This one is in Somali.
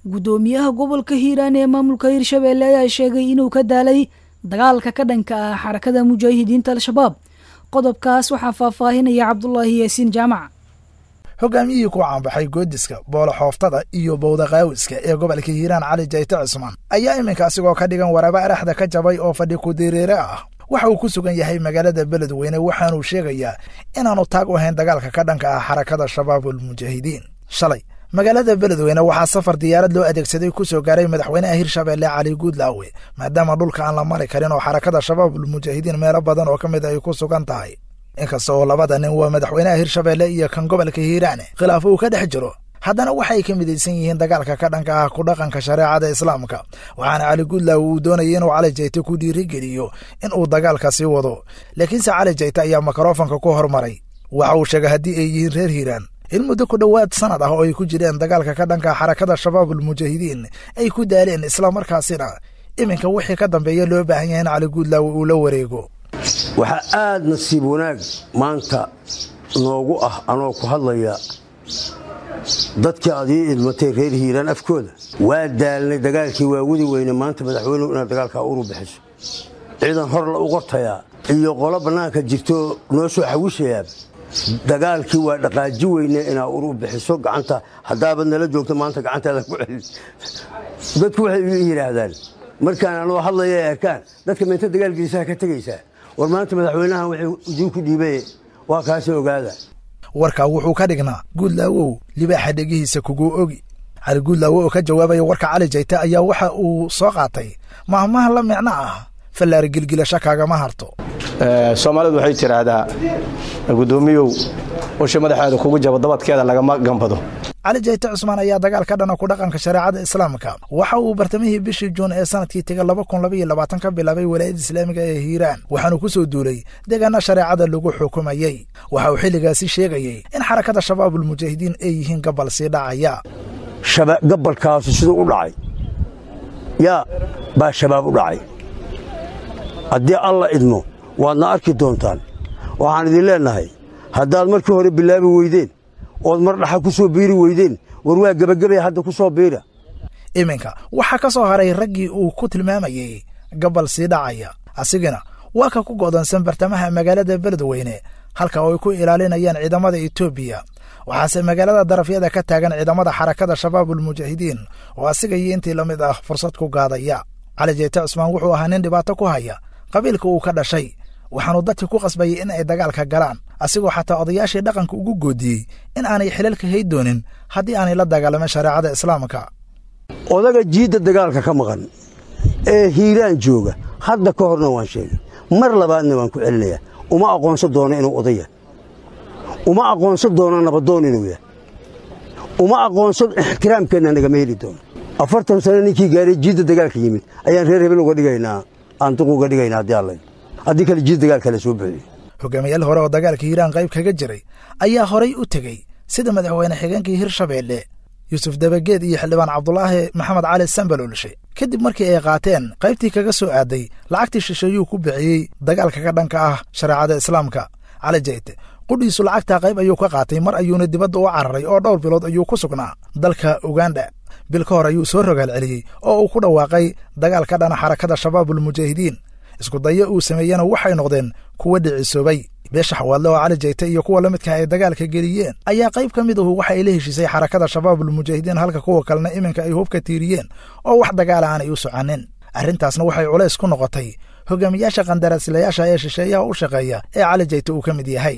Guddoomiyaha gobolka Hiiraan ee maamulka Hirshabeelle ayaa sheegay inuu ka daalay dagaalka ka dhanka ah Xarakada Mujaahidiinta Al-Shabaab. Qodobkaas waxaa faahfaahinaya Cabdulaahi Yaasiin Jaamac. Hogaamiyihii ku caanbaxay goodiska, boola xooftada iyo bowda qaawiska ee gobolka Hiiraan, Cali Jayte Cusmaan, ayaa iminka asigoo ka dhigan waraba araxda ka jabay oo fadhi ku-diriire ah waxa uu ku sugan yahay magaalada Beledweyne. Waxaanuu sheegayaa inaanu taag u ahayn dagaalka ka dhanka ah Xarakada Shabaabulmujaahidiin. Shalay magaalada Beledweyne waxaa safar diyaarad loo adeegsaday ku soo gaaray madaxweynaha Hirshabeelle Cali Guudlaawe, maadaama dhulka aan la mari karin oo Xarakada Shabaabulmujaahidiin meelo badan oo ka mid ay ku sugan tahay. Inkasta oo labada nin, waa madaxweynaha Hirshabeelle iyo kan gobolka Hiiraane, khilaaf uu ka dhex jiro, haddana waxay ka midaysan yihiin dagaalka ka dhanka ah ku dhaqanka shareecada Islaamka. Waxaana Cali Guudlaawe uu doonayay inuu Cali Jayte ku dhiirigeliyo in uu dagaalka sii wado, laakiinse Cali Jayte ayaa mikrofonka ku hormaray. Waxa uu sheegay haddii ay yihiin reer Hiiraan in muddo ku dhowaad sanad ah oo ay ku jireen dagaalka ka dhanka Xarakada Shabaabulmujaahidiin ay ku daaleen, islamarkaasina iminka wixii ka dambeeya loo baahan yahay in Cali Guudlaawe uu la wareego. Waxaa aad nasiib wanaag maanta noogu ah, anoo ku hadlaya dadkii aad ii idmatay reer Hiiraan afkooda, waa daalnay dagaalkii, waa wadi weyne. Maanta madaxweynuhu inaad dagaalkaa uru bixiso, ciidan hor la u qortayaa iyo qolo bannaanka jirto noo soo xawishayaa, dagaalkii waa dhaqaaji weyne, inaa uru bixiso gacanta. Haddaabad nala joogto maanta gacantaada ku celin. Dadku waxay ii yidhaahdaan markaan anoo hadlaya ay arkaan dadka meynta dagaalgiisaha ka tegaysaa, war maanta madaxweynahan wuxuu idiinku dhiibay waa kaasi, ogaada. Warkaa wuxuu ka dhignaa Guudlaawow libaaxa dhegihiisa kugu ogi. Cali Guudlaawo oo ka jawaabaya warka Cali Jayte ayaa waxa uu soo qaatay mahmaha la micno ah fallaari gilgilasho kaagama harto. Soomaalidu waxay tidhaahdaa, guddoomiyow, usha madaxeeda kugu jabo dabadkeeda lagama gambado. Cali Jayte Cusmaan ayaa dagaal ka dhana ku dhaqanka shareecada Islaamka waxa uu bartamihii bishii Juun ee sanadkii tega 2022 ka bilaabay Walaayadda Islaamiga ee Hiiraan, waxaanu ku soo duulay deegaana shareecada lagu xukumayey. Waxa uu xilligaasi sheegayey in Xarakada Shabaabulmujaahidiin ay yihiin gabal sii dhacaya. Gabalkaasu siduu u dhacay yaa baa Shabaab u dhacay. Haddii Alla idmo waadna arki doontaan. Waxaan idin leennahay, haddaad markii hore bilaabi weydeen ood mar dhaxa ku soo biiri weydeen, war waa gebagabaya, hadda ku soo biira. Iminka waxaa ka soo haray raggii uu ku tilmaamayey gabal sii dhacaya, asigana waa ka ku go'doonsan bartamaha magaalada Beledweyne, halka oo ay ku ilaalinayaan ciidamada Etoobiya. Waxaase magaalada darafyada ka taagan ciidamada Xarakada Shabaabulmujaahidiin oo asiga iyo intii la mid ah fursad ku gaadaya. Cali Jeyte Cusmaan wuxuu ahaa nin dhibaato ku haya qabiilka uu ka dhashay, waxaanu dadka ku qasbayay in ay dagaalka galaan, asigoo xataa odayaashii dhaqanka ugu goodiyey in aanay xilalka hay doonin haddii aanay la dagaalamin shareecada Islaamka. Odaga jiidda dagaalka ka maqan ee Hiiraan jooga, hadda ka horna waan sheegay, mar labaadna waan ku celinayaa, uma aqoonsan doono inuu odaya, uma aqoonsan doono nabadoon inuu yahay, uma aqoonsan, ixtiraamkeenna nagama heli doono. 40 sano ninkii gaaray jiidda dagaalka yimid ayaan reer hebel uga dhigaynaa, aan duq uga dhigaynaa haddii Alla, haddii kale jiid dagaalka la soo buxiyo. Hogaamiyaal hore oo dagaalka Hiiraan qayb kaga jiray ayaa horay u tegey, sida madaxweyne xigeenkii Hirshabeelle Yuusuf Dabageed iyo xildhibaan Cabdulaahi Maxamed Cali Sambalolshe, kadib markii ay qaateen qaybtii kaga soo aaday lacagtii shisheeyuu ku bixiyey dagaalka ka dhanka ah shareecada Islaamka. Cali Jayte qudhiisu lacagtaa qayb ayuu ka qaatay, mar ayuuna dibadda u cararay oo dhowr bilood ayuu ku sugnaa dalka Uganda. Bil ka hor ayuu soo rogaal celiyey oo uu ku dhawaaqay dagaal ka dhana Xarakada Shabaabulmujaahidiin. Isku dayo uu sameeyena waxay noqdeen kuwa dhicisoobay. Beesha Xawaadle oo Cali Jayte iyo kuwa la midka ay dagaalka geliyeen ayaa qayb ka mid ahu waxa ay la heshiisay Xarakada Shabaabulmujaahidiin, halka kuwa kalena iminka ay hubka tiiriyeen oo wax dagaala aanay u soconin. Arrintaasna waxay culays ku noqotay hogaamiyaasha qandaraaslayaasha ee shisheeyaha u shaqeeya ee Cali Jayte uu ka mid yahay.